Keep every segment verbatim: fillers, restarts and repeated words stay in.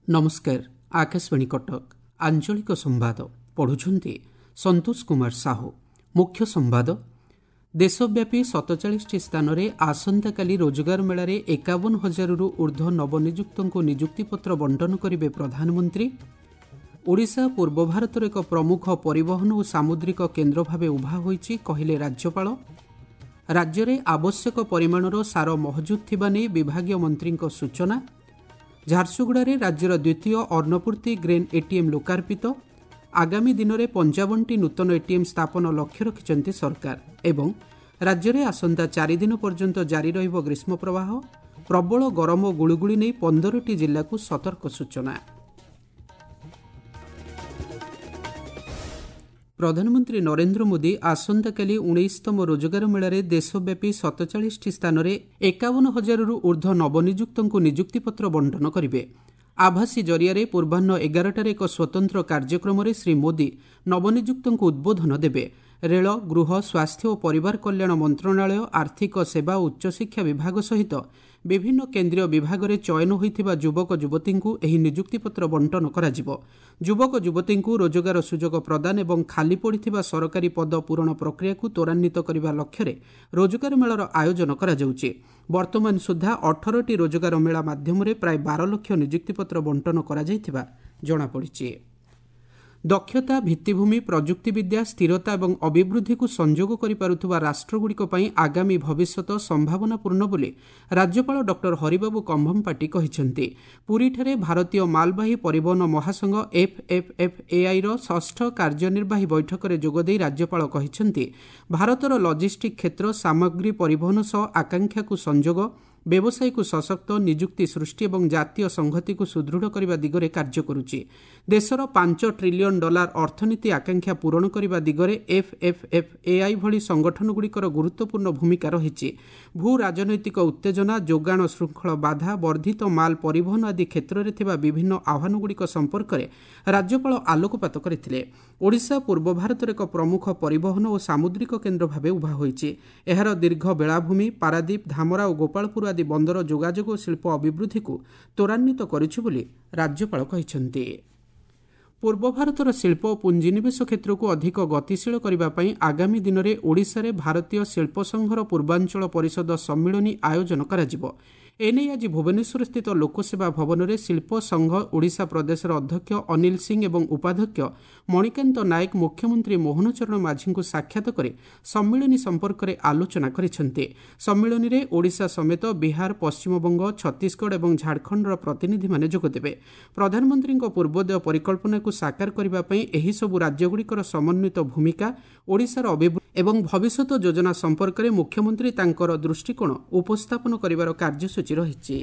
ନମସ୍କାର ଆକାଶବାଣୀ କଟକ ଆଞ୍ଚଳିକ ସମ୍ବାଦ ପଢୁଛନ୍ତି ସନ୍ତୋଷ କୁମାର ସାହୁ ମୁଖ୍ୟ ସମ୍ବାଦ ଦେଶବ୍ୟାପୀ ସତଚାଳିଶଟି ସ୍ଥାନରେ ଆସନ୍ତାକାଲି ରୋଜଗାର ମେଳାରେ ଏକାବନ ହଜାରରୁ ଉର୍ଦ୍ଧ୍ୱ ନବନିଯୁକ୍ତଙ୍କୁ ନିଯୁକ୍ତିପତ୍ର ବଣ୍ଟନ କରିବେ ପ୍ରଧାନମନ୍ତ୍ରୀ ଓଡ଼ିଶା ପୂର୍ବ ଭାରତର ଏକ ପ୍ରମୁଖ ପରିବହନ ଓ ସାମୁଦ୍ରିକ କେନ୍ଦ୍ର ଭାବେ ଉଭା ହୋଇଛି କହିଲେ ରାଜ୍ୟପାଳ ରାଜ୍ୟରେ ଆବଶ୍ୟକ ପରିମାଣର ସାର ମହଜୁଦ ଥିବା ନେଇ ବିଭାଗୀୟ ମନ୍ତ୍ରୀଙ୍କ ସୂଚନା ଝାରସୁଗୁଡ଼ାରେ ରାଜ୍ୟର ଦ୍ୱିତୀୟ ଅନ୍ନପୂର୍ତ୍ତି ଗ୍ରେନ୍ ଏଟିଏମ୍ ଲୋକାର୍ପିତ ଆଗାମୀ ଦିନରେ ପଞ୍ଚାବନଟି ନୂତନ ଏଟିଏମ୍ ସ୍ଥାପନ ଲକ୍ଷ୍ୟ ରଖିଛନ୍ତି ସରକାର ଏବଂ ରାଜ୍ୟରେ ଆସନ୍ତା ଚାରିଦିନ ପର୍ଯ୍ୟନ୍ତ ଜାରି ରହିବ ଗ୍ରୀଷ୍ମ ପ୍ରବାହ ପ୍ରବଳ ଗରମ ଓ ଗୁଳୁଗୁଳି ନେଇ ପନ୍ଦରଟି ଜିଲ୍ଲାକୁ ସତର୍କ ସୂଚନା ପ୍ରଧାନମନ୍ତ୍ରୀ ନରେନ୍ଦ୍ର ମୋଦି ଆସନ୍ତାକାଲି ଉଣେଇଶତମ ରୋଜଗାର ମେଳାରେ ଦେଶବ୍ୟାପୀ ସତଚାଳିଶଟି ସ୍ଥାନରେ ଏକାବନ ହଜାରରୁ ଉର୍ଦ୍ଧ୍ୱ ନବନିଯୁକ୍ତଙ୍କୁ ନିଯୁକ୍ତିପତ୍ର ବଣ୍ଟନ କରିବେ ଆଭାସୀ ଜରିଆରେ ପୂର୍ବାହ୍ନ ଏଗାରଟାରେ ଏକ ସ୍ୱତନ୍ତ୍ର କାର୍ଯ୍ୟକ୍ରମରେ ଶ୍ରୀ ମୋଦି ନବନିଯୁକ୍ତଙ୍କୁ ଉଦ୍ବୋଧନ ଦେବେ ରେଳ ଗୃହ ସ୍ୱାସ୍ଥ୍ୟ ଓ ପରିବାର କଲ୍ୟାଣ ମନ୍ତ୍ରଣାଳୟ ଆର୍ଥିକ ସେବା ଓ ଉଚ୍ଚଶିକ୍ଷା ବିଭାଗ ସହିତ ବିଭିନ୍ନ କେନ୍ଦ୍ରୀୟ ବିଭାଗରେ ଚୟନ ହୋଇଥିବା ଯୁବକ ଯୁବତୀଙ୍କୁ ଏହି ନିଯୁକ୍ତିପତ୍ର ବଣ୍ଟନ କରାଯିବ ଯୁବକ ଯୁବତୀଙ୍କୁ ରୋଜଗାର ସୁଯୋଗ ପ୍ରଦାନ ଏବଂ ଖାଲି ପଡ଼ିଥିବା ସରକାରୀ ପଦ ପୂରଣ ପ୍ରକ୍ରିୟାକୁ ତ୍ୱରାନ୍ୱିତ କରିବା ଲକ୍ଷ୍ୟରେ ରୋଜଗାର ମେଳାର ଆୟୋଜନ କରାଯାଉଛି ବର୍ତ୍ତମାନ ସୁଦ୍ଧା ଅଠରଟି ରୋଜଗାର ମେଳା ମାଧ୍ୟମରେ ପ୍ରାୟ ବାର ଲକ୍ଷ ନିଯୁକ୍ତିପତ୍ର ବଣ୍ଟନ କରାଯାଇଥିବା ଜଣାପଡ଼ିଛି ଦକ୍ଷତା ଭିତ୍ତିଭୂମି ପ୍ରଯୁକ୍ତିବିଦ୍ୟା ସ୍ଥିରତା ଏବଂ ଅଭିବୃଦ୍ଧିକୁ ସଂଯୋଗ କରିପାରୁଥିବା ରାଷ୍ଟ୍ରଗୁଡ଼ିକ ପାଇଁ ଆଗାମୀ ଭବିଷ୍ୟତ ସମ୍ଭାବନାପୂର୍ଣ୍ଣ ବୋଲି ରାଜ୍ୟପାଳ ଡକ୍ଟର ହରିବାବୁ କମ୍ଭମପାଟି କହିଛନ୍ତି ପୁରୀଠାରେ ଭାରତୀୟ ମାଲବାହୀ ପରିବହନ ମହାସଂଘ ଏଫ୍ଏଫ୍ଏଫ୍ଏଆଇର ଷଷ୍ଠ କାର୍ଯ୍ୟନିର୍ବାହୀ ବୈଠକରେ ଯୋଗଦେଇ ରାଜ୍ୟପାଳ କହିଛନ୍ତି ଭାରତର ଲଜିଷ୍ଟିକ୍ କ୍ଷେତ୍ର ସାମଗ୍ରୀ ପରିବହନ ସହ ଆକାଂକ୍ଷାକୁ ସଂଯୋଗ ବ୍ୟବସାୟକୁ ସଶକ୍ତ ନିଯୁକ୍ତି ସୃଷ୍ଟି ଏବଂ ଜାତୀୟ ସଂହତିକୁ ସୁଦୃଢ଼ କରିବା ଦିଗରେ କାର୍ଯ୍ୟ କରୁଛି ଦେଶର ପାଞ୍ଚ ଟ୍ରିଲିୟନ ଡଲାର ଅର୍ଥନୀତି ଆକାଂକ୍ଷା ପୂରଣ କରିବା ଦିଗରେ ଏଫ୍ଏଫ୍ଏଫ୍ଏଆଇ ଭଳି ସଂଗଠନଗୁଡ଼ିକର ଗୁରୁତ୍ୱପୂର୍ଣ୍ଣ ଭୂମିକା ରହିଛି ଭୂ ରାଜନୈତିକ ଉତ୍ତେଜନା ଯୋଗାଣ ଶୃଙ୍ଖଳ ବାଧା ବର୍ଦ୍ଧିତ ମାଲ ପରିବହନ ଆଦି କ୍ଷେତ୍ରରେ ଥିବା ବିଭିନ୍ନ ଆହ୍ୱାନଗୁଡ଼ିକ ସମ୍ପର୍କରେ ରାଜ୍ୟପାଳ ଆଲୋକପାତ କରିଥିଲେ ଓଡ଼ିଶା ପୂର୍ବ ଭାରତର ଏକ ପ୍ରମୁଖ ପରିବହନ ଓ ସାମୁଦ୍ରିକ କେନ୍ଦ୍ର ଭାବେ ଉଭା ହୋଇଛି ଏହାର ଦୀର୍ଘ ବେଳାଭୂମି ପାରାଦୀପ ଧାମରା ଓ ଗୋପାଳପୁର ଆଦି ବନ୍ଦର ଯୋଗାଯୋଗ ଓ ଶିଳ୍ପ ଅଭିବୃଦ୍ଧିକୁ ତ୍ୱରାନ୍ୱିତ କରିଛି ବୋଲି ରାଜ୍ୟପାଳ କହିଛନ୍ତି ପୂର୍ବ ଭାରତର ଶିଳ୍ପ ଓ ପୁଞ୍ଜିନିବେଶ କ୍ଷେତ୍ରକୁ ଅଧିକ ଗତିଶୀଳ କରିବା ପାଇଁ ଆଗାମୀ ଦିନରେ ଓଡ଼ିଶାରେ ଭାରତୀୟ ଶିଳ୍ପ ସଂଘର ପୂର୍ବାଞ୍ଚଳ ପରିଷଦ ସମ୍ମିଳନୀ ଆୟୋଜନ କରାଯିବ ଏନେଇ ଆଜି ଭୁବନେଶ୍ୱରସ୍ଥିତ ଲୋକସେବା ଭବନରେ ଶିଳ୍ପ ସଂଘ ଓଡ଼ିଶା ପ୍ରଦେଶର ଅଧ୍ୟକ୍ଷ ଅନିଲ ସିଂ ଏବଂ ଉପାଧ୍ୟକ୍ଷ ମଣିକାନ୍ତ ନାୟକ ମୁଖ୍ୟମନ୍ତ୍ରୀ ମୋହନ ଚରଣ ମାଝୀଙ୍କୁ ସାକ୍ଷାତ କରି ସମ୍ମିଳନୀ ସମ୍ପର୍କରେ ଆଲୋଚନା କରିଛନ୍ତି ସମ୍ମିଳନୀରେ ଓଡ଼ିଶା ସମେତ ବିହାର ପଶ୍ଚିମବଙ୍ଗ ଛତିଶଗଡ଼ ଏବଂ ଝାଡ଼ଖଣ୍ଡର ପ୍ରତିନିଧିମାନେ ଯୋଗଦେବେ ପ୍ରଧାନମନ୍ତ୍ରୀଙ୍କ ପୂର୍ବୋଦୟ ପରିକଳ୍ପନାକୁ ସାକାର କରିବା ପାଇଁ ଏହିସବୁ ରାଜ୍ୟଗୁଡ଼ିକର ସମନ୍ୱିତ ଭୂମିକା ଓଡ଼ିଶାର ଅଭିବୃଦ୍ଧି ଏବଂ ଭବିଷ୍ୟତ ଯୋଜନା ସମ୍ପର୍କରେ ମୁଖ୍ୟମନ୍ତ୍ରୀ ତାଙ୍କର ଦୃଷ୍ଟିକୋଣ ଉପସ୍ଥାପନ କରିବାର କାର୍ଯ୍ୟସୂଚୀ ରହିଛି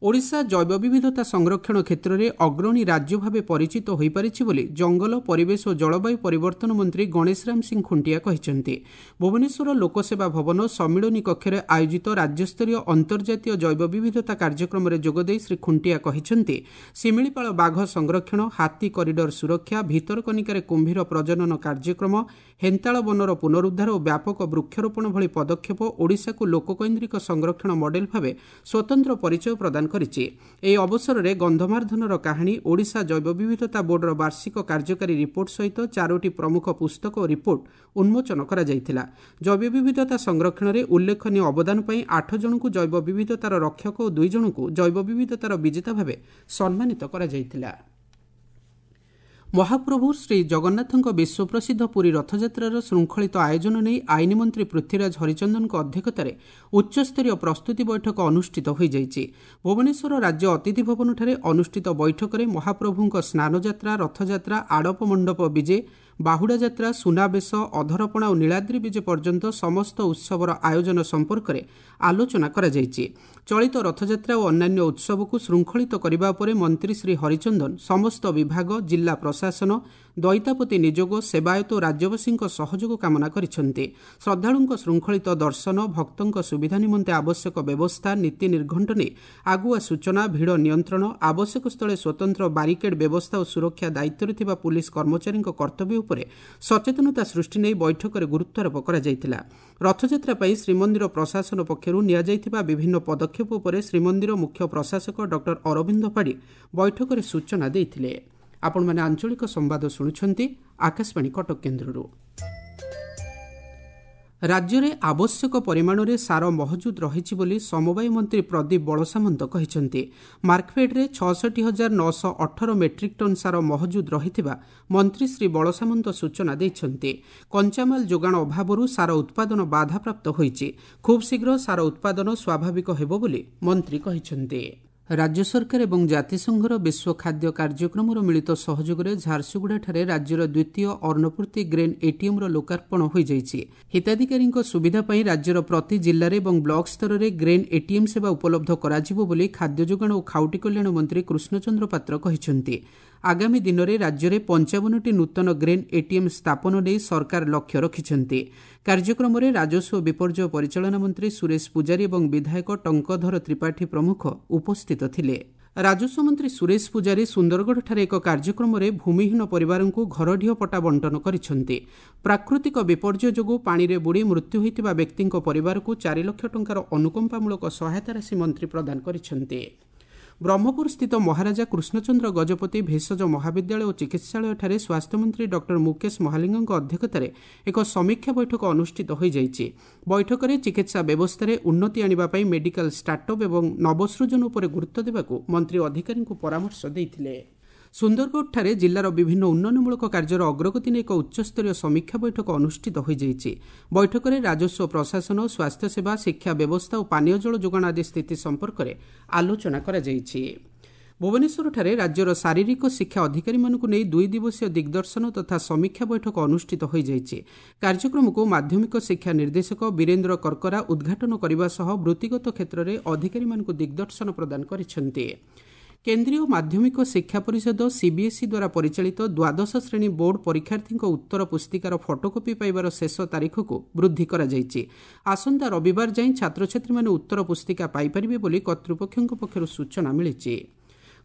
ଓଡ଼ିଶା ଜୈବ ବିବିଧତା ସଂରକ୍ଷଣ କ୍ଷେତ୍ରରେ ଅଗ୍ରଣୀ ରାଜ୍ୟ ଭାବେ ପରିଚିତ ହୋଇପାରିଛି ବୋଲି ଜଙ୍ଗଲ ପରିବେଶ ଓ ଜଳବାୟୁ ପରିବର୍ତ୍ତନ ମନ୍ତ୍ରୀ ଗଣେଶରାମ ସିଂ ଖୁଣ୍ଟିଆ କହିଛନ୍ତି ଭୁବନେଶ୍ୱର ଲୋକସେବା ଭବନ ସମ୍ମିଳନୀ କକ୍ଷରେ ଆୟୋଜିତ ରାଜ୍ୟସ୍ତରୀୟ ଅନ୍ତର୍ଜାତୀୟ ଜୈବ ବିବିଧତା କାର୍ଯ୍ୟକ୍ରମରେ ଯୋଗଦେଇ ଶ୍ରୀ ଖୁଣ୍ଟିଆ କହିଛନ୍ତି ଶିମିଳିପାଳ ବାଘ ସଂରକ୍ଷଣ ହାତୀ କରିଡର ସୁରକ୍ଷା ଭିତରକନିକାରେ କୁମ୍ଭୀର ପ୍ରଜନନ କାର୍ଯ୍ୟକ୍ରମ ହେନ୍ତାଳ ବନର ପୁନରୁଦ୍ଧାର ଓ ବ୍ୟାପକ ବୃକ୍ଷରୋପଣ ଭଳି ପଦକ୍ଷେପ ଓଡ଼ିଶାକୁ ଲୋକକୈନ୍ଦ୍ରିକ ସଂରକ୍ଷଣ ମଡେଲ ଭାବେ ସ୍ୱତନ୍ତ୍ର ପରିଚୟ ପ୍ରଦାନ କରିଛି ଏହି ଅବସରରେ ଗନ୍ଧମାର୍ଦ୍ଧନର କାହାଣୀ ଓଡ଼ିଶା ଜୈବ ବିବିଧତା ବୋର୍ଡର ବାର୍ଷିକ କାର୍ଯ୍ୟକାରୀ ରିପୋର୍ଟ ସହିତ ଚାରୋଟି ପ୍ରମୁଖ ପୁସ୍ତକ ଓ ରିପୋର୍ଟ ଉନ୍ମୋଚନ କରାଯାଇଥିଲା ଜୈବ ବିବିଧତା ସଂରକ୍ଷଣରେ ଉଲ୍ଲେଖନୀୟ ଅବଦାନ ପାଇଁ ଆଠ ଜଣଙ୍କୁ ଜୈବ ବିବିଧତାର ରକ୍ଷକ ଓ ଦୁଇ ଜଣଙ୍କୁ ଜୈବ ବିବିଧତାର ବିଜେତା ଭାବେ ସମ୍ମାନିତ କରାଯାଇଥିଲା ମହାପ୍ରଭୁ ଶ୍ରୀ ଜଗନ୍ନାଥଙ୍କ ବିଶ୍ୱପ୍ରସିଦ୍ଧ ପୁରୀ ରଥଯାତ୍ରାର ଶୃଙ୍ଖଳିତ ଆୟୋଜନ ନେଇ ଆଇନ ମନ୍ତ୍ରୀ ପୃଥ୍ୱୀରାଜ ହରିଚନ୍ଦନଙ୍କ ଅଧ୍ୟକ୍ଷତାରେ ଉଚ୍ଚସ୍ତରୀୟ ପ୍ରସ୍ତୁତି ବୈଠକ ଅନୁଷ୍ଠିତ ହୋଇଯାଇଛି ଭୁବନେଶ୍ୱର ରାଜ୍ୟ ଅତିଥି ଭବନଠାରେ ଅନୁଷ୍ଠିତ ବୈଠକରେ ମହାପ୍ରଭୁଙ୍କ ସ୍ନାନଯାତ୍ରା ରଥଯାତ୍ରା ଆଡ଼ପ ମଣ୍ଡପ ବିଜେ ବାହୁଡ଼ା ଯାତ୍ରା ସୁନାବେଶ ଅଧରପଣା ଓ ନୀଳାଦ୍ରି ବିଜେ ପର୍ଯ୍ୟନ୍ତ ସମସ୍ତ ଉତ୍ସବର ଆୟୋଜନ ସମ୍ପର୍କରେ ଆଲୋଚନା କରାଯାଇଛି ଚଳିତ ରଥଯାତ୍ରା ଓ ଅନ୍ୟାନ୍ୟ ଉତ୍ସବକୁ ଶୃଙ୍ଖଳିତ କରିବା ଉପରେ ମନ୍ତ୍ରୀ ଶ୍ରୀ ହରିଚନ୍ଦନ ସମସ୍ତ ବିଭାଗ ଜିଲ୍ଲା ପ୍ରଶାସନ ଦଇତାପତି ନିଯୋଗ ସେବାୟତ ଓ ରାଜ୍ୟବାସୀଙ୍କ ସହଯୋଗ କାମନା କରିଛନ୍ତି ଶ୍ରଦ୍ଧାଳୁଙ୍କ ଶୃଙ୍ଖଳିତ ଦର୍ଶନ ଭକ୍ତଙ୍କ ସୁବିଧା ନିମନ୍ତେ ଆବଶ୍ୟକ ବ୍ୟବସ୍ଥା ନୀତି ନିର୍ଘଣ୍ଟ ନେଇ ଆଗୁଆ ସୂଚନା ଭିଡ଼ ନିୟନ୍ତ୍ରଣ ଆବଶ୍ୟକ ସ୍ଥଳେ ସ୍ୱତନ୍ତ୍ର ବାରିକେଡ୍ ବ୍ୟବସ୍ଥା ଓ ସୁରକ୍ଷା ଦାୟିତ୍ୱରେ ଥିବା ପୁଲିସ୍ କର୍ମଚାରୀଙ୍କ କର୍ତ୍ତବ୍ୟ ଉପରେ ଉପରେ ସଚେତନତା ସୃଷ୍ଟି ନେଇ ବୈଠକରେ ଗୁରୁତ୍ୱାରୋପ କରାଯାଇଥିଲା। ରଥଯାତ୍ରା ପାଇଁ ଶ୍ରୀମନ୍ଦିର ପ୍ରଶାସନ ପକ୍ଷରୁ ନିଆଯାଇଥିବା ବିଭିନ୍ନ ପଦକ୍ଷେପ ଉପରେ ଶ୍ରୀମନ୍ଦିର ମୁଖ୍ୟ ପ୍ରଶାସକ ଡକ୍ଟର ଅରବିନ୍ଦ ପାଢ଼ୀ ବୈଠକରେ ସୂଚନା ଦେଇଥିଲେ। ଆପଣମାନେ ଆଞ୍ଚଳିକ ସମ୍ବାଦ ଶୁଣୁଛନ୍ତି ଆକାଶବାଣୀ କଟକ କେନ୍ଦ୍ରରୁ। ରାଜ୍ୟରେ ଆବଶ୍ୟକ ପରିମାଣରେ ସାର ମହଜୁଦ ରହିଛି ବୋଲି ସମବାୟ ମନ୍ତ୍ରୀ ପ୍ରଦୀପ ବଳସାମନ୍ତ କହିଛନ୍ତି। ମାର୍କଫେଡ୍ରେ ଛଅଷଠି ହଜାର ନଅଶହ ଅଠର ମେଟ୍ରିକ୍ ଟନ୍ ସାର ମହଜୁଦ ରହିଥିବା ମନ୍ତ୍ରୀ ଶ୍ରୀ ବଳସାମନ୍ତ ସୂଚନା ଦେଇଛନ୍ତି। କଞ୍ଚାମାଲ ଯୋଗାଣ ଅଭାବରୁ ସାର ଉତ୍ପାଦନ ବାଧାପ୍ରାପ୍ତ ହୋଇଛି। ଖୁବ୍ ଶୀଘ୍ର ସାର ଉତ୍ପାଦନ ସ୍ୱାଭାବିକ ହେବ ବୋଲି ମନ୍ତ୍ରୀ କହିଛନ୍ତି। ରାଜ୍ୟ ସରକାର ଏବଂ ଜାତିସଂଘର ବିଶ୍ୱ ଖାଦ୍ୟ କାର୍ଯ୍ୟକ୍ରମର ମିଳିତ ସହଯୋଗରେ ଝାରସୁଗୁଡ଼ାଠାରେ ରାଜ୍ୟର ଦ୍ୱିତୀୟ ଅନ୍ନପୂର୍ତ୍ତି ଗ୍ରେନ୍ ଏଟିଏମ୍ର ଲୋକାର୍ପଣ ହୋଇଯାଇଛି। ହିତାଧିକାରୀଙ୍କ ସୁବିଧା ପାଇଁ ରାଜ୍ୟର ପ୍ରତି ଜିଲ୍ଲାରେ ଏବଂ ବ୍ଲକ ସ୍ତରରେ ଗ୍ରେନ୍ ଏଟିଏମ୍ ସେବା ଉପଲବ୍ଧ କରାଯିବ ବୋଲି ଖାଦ୍ୟ ଯୋଗାଣ ଓ ଖାଉଟି କଲ୍ୟାଣ ମନ୍ତ୍ରୀ କୃଷ୍ଣଚନ୍ଦ୍ର ପାତ୍ର କହିଛନ୍ତି। ଆଗାମୀ ଦିନରେ ରାଜ୍ୟରେ ପଞ୍ଚାବନଟି ନୂତନ ଗ୍ରେନ୍ ଏଟିଏମ୍ ସ୍ଥାପନ ନେଇ ସରକାର ଲକ୍ଷ୍ୟ ରଖିଛନ୍ତି। କାର୍ଯ୍ୟକ୍ରମରେ ରାଜସ୍ୱ ବିପର୍ଯ୍ୟୟ ପରିଚାଳନା ମନ୍ତ୍ରୀ ସୁରେଶ ପୂଜାରୀ ଏବଂ ବିଧାୟକ ଟଙ୍କଧର ତ୍ରିପାଠୀ ପ୍ରମୁଖ ଉପସ୍ଥିତ ଥିଲେ। ରାଜସ୍ୱ ମନ୍ତ୍ରୀ ସୁରେଶ ପୂଜାରୀ ସୁନ୍ଦରଗଡ଼ଠାରେ ଏକ କାର୍ଯ୍ୟକ୍ରମରେ ଭୂମିହୀନ ପରିବାରଙ୍କୁ ଘରଢିଅ ପଟ୍ଟା ବଣ୍ଟନ କରିଛନ୍ତି। ପ୍ରାକୃତିକ ବିପର୍ଯ୍ୟୟ ଯୋଗୁଁ ପାଣିରେ ବୁଡ଼ି ମୃତ୍ୟୁ ହୋଇଥିବା ବ୍ୟକ୍ତିଙ୍କ ପରିବାରକୁ ଚାରି ଲକ୍ଷ ଟଙ୍କାର ଅନୁକମ୍ପାମୂଳକ ସହାୟତା ରାଶି ମନ୍ତ୍ରୀ ପ୍ରଦାନ କରିଛନ୍ତି। ବ୍ରହ୍ମପୁର ସ୍ଥିତ ମହାରାଜା କୃଷ୍ଣଚନ୍ଦ୍ର ଗଜପତି ଭେଷଜ ମହାବିଦ୍ୟାଳୟ ଓ ଚିକିତ୍ସାଳୟଠାରେ ସ୍ୱାସ୍ଥ୍ୟମନ୍ତ୍ରୀ ଡକ୍ଟର ମୁକେଶ ମହାଲିଙ୍ଗଙ୍କ ଅଧ୍ୟକ୍ଷତାରେ ଏକ ସମୀକ୍ଷା ବୈଠକ ଅନୁଷ୍ଠିତ ହୋଇଯାଇଛି। ବୈଠକରେ ଚିକିତ୍ସା ବ୍ୟବସ୍ଥାରେ ଉନ୍ନତି ଆଣିବା ପାଇଁ ମେଡିକାଲ ଷ୍ଟାର୍ଟଅପ୍ ଏବଂ ନବସୃଜନ ଉପରେ ଗୁରୁତ୍ୱ ଦେବାକୁ ମନ୍ତ୍ରୀ ଅଧିକାରୀଙ୍କୁ ପରାମର୍ଶ ଦେଇଥିଲେ। ସୁନ୍ଦରଗଡ଼ଠାରେ ଜିଲ୍ଲାର ବିଭିନ୍ନ ଉନ୍ନୟନମୂଳକ କାର୍ଯ୍ୟର ଅଗ୍ରଗତି ନେଇ ଏକ ଉଚ୍ଚସ୍ତରୀୟ ସମୀକ୍ଷା ବୈଠକ ଅନୁଷ୍ଠିତ ହୋଇଯାଇଛି। ବୈଠକରେ ରାଜସ୍ୱ ପ୍ରଶାସନ, ସ୍ୱାସ୍ଥ୍ୟସେବା, ଶିକ୍ଷା ବ୍ୟବସ୍ଥା ଓ ପାନୀୟ ଜଳ ଯୋଗାଣ ଆଦି ସ୍ଥିତି ସମ୍ପର୍କରେ ଆଲୋଚନା କରାଯାଇଛି। ଭୁବନେଶ୍ୱରଠାରେ ରାଜ୍ୟର ଶାରୀରିକ ଶିକ୍ଷା ଅଧିକାରୀମାନଙ୍କୁ ନେଇ ଦୁଇ ଦିବସୀୟ ଦିଗ୍ଦର୍ଶନ ତଥା ସମୀକ୍ଷା ବୈଠକ ଅନୁଷ୍ଠିତ ହୋଇଯାଇଛି। କାର୍ଯ୍ୟକ୍ରମକୁ ମାଧ୍ୟମିକ ଶିକ୍ଷା ନିର୍ଦ୍ଦେଶକ ବୀରେନ୍ଦ୍ର କର୍କରା ଉଦ୍ଘାଟନ କରିବା ସହ ବୃତ୍ତିଗତ କ୍ଷେତ୍ରରେ ଅଧିକାରୀମାନଙ୍କୁ ଦିଗ୍ଦର୍ଶନ ପ୍ରଦାନ କରିଛନ୍ତି। କେନ୍ଦ୍ରୀୟ ମାଧ୍ୟମିକ ଶିକ୍ଷା ପରିଷଦ ସିବିଏସ୍ଇ ଦ୍ୱାରା ପରିଚାଳିତ ଦ୍ୱାଦଶ ଶ୍ରେଣୀ ବୋର୍ଡ ପରୀକ୍ଷାର୍ଥୀଙ୍କ ଉତ୍ତର ପୁସ୍ତିକାର ଫଟୋକପି ପାଇବାର ଶେଷ ତାରିଖକୁ ବୃଦ୍ଧି କରାଯାଇଛି। ଆସନ୍ତା ରବିବାର ଯାଏଁ ଛାତ୍ରଛାତ୍ରୀମାନେ ଉତ୍ତର ପୁସ୍ତିକା ପାଇପାରିବେ ବୋଲି କର୍ତ୍ତୃପକ୍ଷଙ୍କ ପକ୍ଷରୁ ସୂଚନା ମିଳିଛି।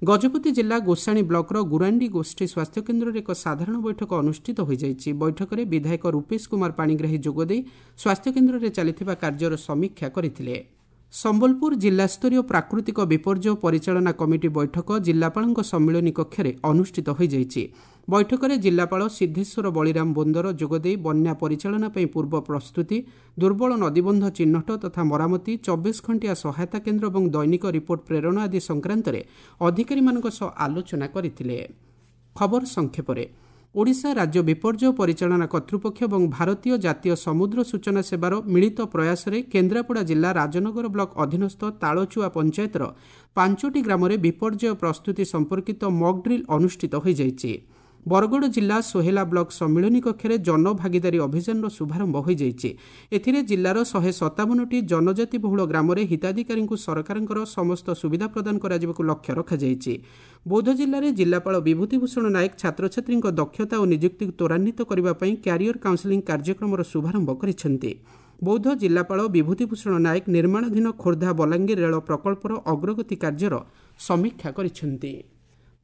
ଗଜପତି ଜିଲ୍ଲା ଗୋସାଣୀ ବ୍ଲକର ଗୁରାଣ୍ଡି ଗୋଷ୍ଠୀ ସ୍ୱାସ୍ଥ୍ୟକେନ୍ଦ୍ରରେ ଏକ ସାଧାରଣ ବୈଠକ ଅନୁଷ୍ଠିତ ହୋଇଯାଇଛି। ବୈଠକରେ ବିଧାୟକ ରୂପେଶ କୁମାର ପାଣିଗ୍ରାହୀ ଯୋଗଦେଇ ସ୍ୱାସ୍ଥ୍ୟକେନ୍ଦ୍ରରେ ଚାଲିଥିବା କାର୍ଯ୍ୟର ସମୀକ୍ଷା କରିଥିଲେ। ସମ୍ବଲପୁର ଜିଲ୍ଲାସ୍ତରୀୟ ପ୍ରାକୃତିକ ବିପର୍ଯ୍ୟୟ ପରିଚାଳନା କମିଟି ବୈଠକ ଜିଲ୍ଲାପାଳଙ୍କ ସମ୍ମିଳନୀ କକ୍ଷରେ ଅନୁଷ୍ଠିତ ହୋଇଯାଇଛି। ବୈଠକରେ ଜିଲ୍ଲାପାଳ ସିଦ୍ଧେଶ୍ୱର ବଳିରାମ ବୋନ୍ଦର ଯୋଗଦେଇ ବନ୍ୟା ପରିଚାଳନା ପାଇଁ ପୂର୍ବ ପ୍ରସ୍ତୁତି, ଦୁର୍ବଳ ନଦୀବନ୍ଧ ଚିହ୍ନଟ ତଥା ମରାମତି, ଚବିଶ ଘଣ୍ଟିଆ ସହାୟତା କେନ୍ଦ୍ର ଏବଂ ଦୈନିକ ରିପୋର୍ଟ ପ୍ରେରଣ ଆଦି ସଂକ୍ରାନ୍ତରେ ଅଧିକାରୀମାନଙ୍କ ସହ ଆଲୋଚନା କରିଥିଲେ। ଖବର ସଂକ୍ଷେପରେ, ଓଡ଼ିଶା ରାଜ୍ୟ ବିପର୍ଯ୍ୟୟ ପରିଚାଳନା କର୍ତ୍ତୃପକ୍ଷ ଏବଂ ଭାରତୀୟ ଜାତୀୟ ସମୁଦ୍ର ସୂଚନା ସେବାର ମିଳିତ ପ୍ରୟାସରେ କେନ୍ଦ୍ରାପଡ଼ା ଜିଲ୍ଲା ରାଜନଗର ବ୍ଲକ ଅଧୀନସ୍ଥ ତାଳଚୁଆ ପଞ୍ଚାୟତର ପାଞ୍ଚଟି ଗ୍ରାମରେ ବିପର୍ଯ୍ୟୟ ପ୍ରସ୍ତୁତି ସମ୍ପର୍କିତ ମକ୍ ଡ୍ରିଲ୍ ଅନୁଷ୍ଠିତ ହୋଇଯାଇଛି। ବରଗଡ଼ ଜିଲ୍ଲା ସୋହେଲା ବ୍ଲକ ସମ୍ମିଳନୀ କକ୍ଷରେ ଜନଭାଗିଦାରୀ ଅଭିଯାନର ଶୁଭାରମ୍ଭ ହୋଇଯାଇଛି। ଏଥିରେ ଜିଲ୍ଲାର ଶହେ ସତାବନଟି ଜନଜାତି ବହୁଳ ଗ୍ରାମରେ ହିତାଧିକାରୀଙ୍କୁ ସରକାରଙ୍କର ସମସ୍ତ ସୁବିଧା ପ୍ରଦାନ କରାଯିବାକୁ ଲକ୍ଷ୍ୟ ରଖାଯାଇଛି। ବୌଦ୍ଧ ଜିଲ୍ଲାରେ ଜିଲ୍ଲାପାଳ ବିଭୂତି ଭୂଷଣ ନାୟକ ଛାତ୍ରଛାତ୍ରୀଙ୍କ ଦକ୍ଷତା ଓ ନିଯୁକ୍ତିକୁ ତ୍ୱରାନ୍ୱିତ କରିବା ପାଇଁ କ୍ୟାରିୟର କାଉନ୍ସେଲିଂ କାର୍ଯ୍ୟକ୍ରମର ଶୁଭାରମ୍ଭ କରିଛନ୍ତି। ବୌଦ୍ଧ ଜିଲ୍ଲାପାଳ ବିଭୂତି ଭୂଷଣ ନାୟକ ନିର୍ମାଣାଧୀନ ଖୋର୍ଦ୍ଧା ବଲାଙ୍ଗୀର ରେଳ ପ୍ରକଳ୍ପର ଅଗ୍ରଗତି କାର୍ଯ୍ୟର ସମୀକ୍ଷା କରିଛନ୍ତି।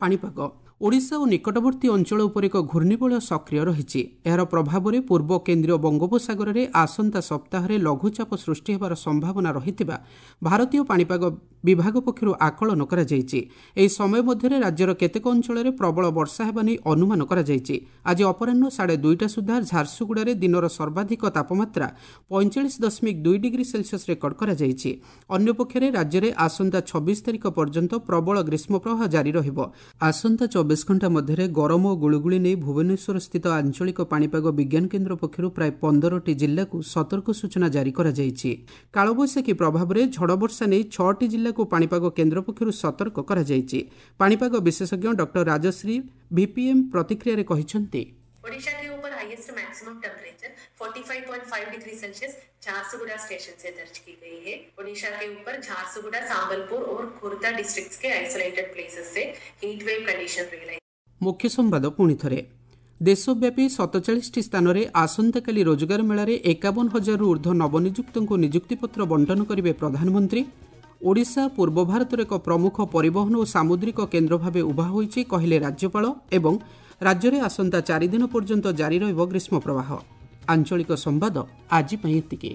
ପାଣିପାଗ, ଓଡ଼ିଶା ଓ ନିକଟବର୍ତ୍ତୀ ଅଞ୍ଚଳ ଉପରେ ଏକ ଘୂର୍ଣ୍ଣିବଳୟ ସକ୍ରିୟ ରହିଛି। ଏହାର ପ୍ରଭାବରେ ପୂର୍ବ କେନ୍ଦ୍ରୀୟ ବଙ୍ଗୋପସାଗରରେ ଆସନ୍ତା ସପ୍ତାହରେ ଲଘୁଚାପ ସୃଷ୍ଟି ହେବାର ସମ୍ଭାବନା ରହିଥିବା ଭାରତୀୟ ପାଣିପାଗ ବିଭାଗ ପକ୍ଷରୁ ଆକଳନ କରାଯାଇଛି। ଏହି ସମୟ ମଧ୍ୟରେ ରାଜ୍ୟର କେତେକ ଅଞ୍ଚଳରେ ପ୍ରବଳ ବର୍ଷା ହେବା ନେଇ ଅନୁମାନ କରାଯାଇଛି। ଆଜି ଅପରାହ୍ନ ସାଢ଼େ ଦୁଇଟା ସୁଦ୍ଧା ଝାରସୁଗୁଡ଼ାରେ ଦିନର ସର୍ବାଧିକ ତାପମାତ୍ରା ପଇଁଚାଳିଶ ଦଶମିକ ଦୁଇ ଡିଗ୍ରୀ ସେଲସିୟସ୍ ରେକର୍ଡ କରାଯାଇଛି। ଅନ୍ୟପକ୍ଷରେ ରାଜ୍ୟରେ ଆସନ୍ତା ଛବିଶ ତାରିଖ ପର୍ଯ୍ୟନ୍ତ ପ୍ରବଳ ଗ୍ରୀଷ୍ମପ୍ରବାହ ଜାରି ରହିବ। ଆସନ୍ତା ଚବିଶ ଘଣ୍ଟା ମଧ୍ୟରେ ଗରମ ଓ ଗୁଳୁଗୁଳି ନେଇ ଭୁବନେଶ୍ୱର ସ୍ଥିତ ଆଞ୍ଚଳିକ ପାଣିପାଗ ବିଜ୍ଞାନ କେନ୍ଦ୍ର ପକ୍ଷରୁ ପ୍ରାୟ ପନ୍ଦରଟି ଜିଲ୍ଲାକୁ ସତର୍କ ସୂଚନା ଜାରି କରାଯାଇଛି। କାଳବୈଶାଖୀ ପ୍ରଭାବରେ ଝଡ଼ବର୍ଷା ନେଇ ଛଅଟି ଜିଲ୍ଲାକୁ ପାଣିପାଗ କେନ୍ଦ୍ର ପକ୍ଷରୁ ସତର୍କ କରାଯାଇଛି। ପାଣିପାଗ ବିଶେଷଜ୍ଞ ଡକ୍ଟର ରାଜଶ୍ରୀ ଭିପିଏମ୍ ପ୍ରତିକ୍ରିୟାରେ କହିଛନ୍ତି, ओडिशा के ऊपर हाईएस्ट मैक्सिमम टेम्परेचर पैंतालीस पॉइंट पाँच डिग्री सेल्सियस झारसुगुड़ा स्टेशन से दर्ज की गई है। ओडिशा के ऊपर झारसुगुड़ा, संबलपुर और खुर्दा डिस्ट्रिक्ट्स के आइसोलेटेड प्लेसेस से हीट वेव कंडीशन रियलाइज। ମୁଖ୍ୟ ସମ୍ବାଦ ପୁଣି ଥରେ, ଦେଶବ୍ୟାପୀ ସତଚାଳିଶଟି ସ୍ଥାନରେ ଆସନ୍ତାକାଲି ରୋଜଗାର ମେଳାରେ ଏକାବନ ହଜାରରୁ ଉର୍ଦ୍ଧ୍ୱ ନବନିଯୁକ୍ତଙ୍କୁ ନିଯୁକ୍ତିପତ୍ର ବଣ୍ଟନ କରିବେ ପ୍ରଧାନମନ୍ତ୍ରୀ। ଓଡ଼ିଶା ପୂର୍ବ ଭାରତର ଏକ ପ୍ରମୁଖ ପରିବହନ ଓ ସାମୁଦ୍ରିକ କେନ୍ଦ୍ର ଭାବେ ଉଭା ହୋଇଛି, କହିଲେ ରାଜ୍ୟପାଳ। ଏବଂ ରାଜ୍ୟରେ ଆସନ୍ତା ଚାରିଦିନ ପର୍ଯ୍ୟନ୍ତ ଜାରି ରହିବ ଗ୍ରୀଷ୍ମ ପ୍ରବାହ। ଆଞ୍ଚଳିକ ସମ୍ବାଦ ଆଜି ପାଇଁ ଏତିକି।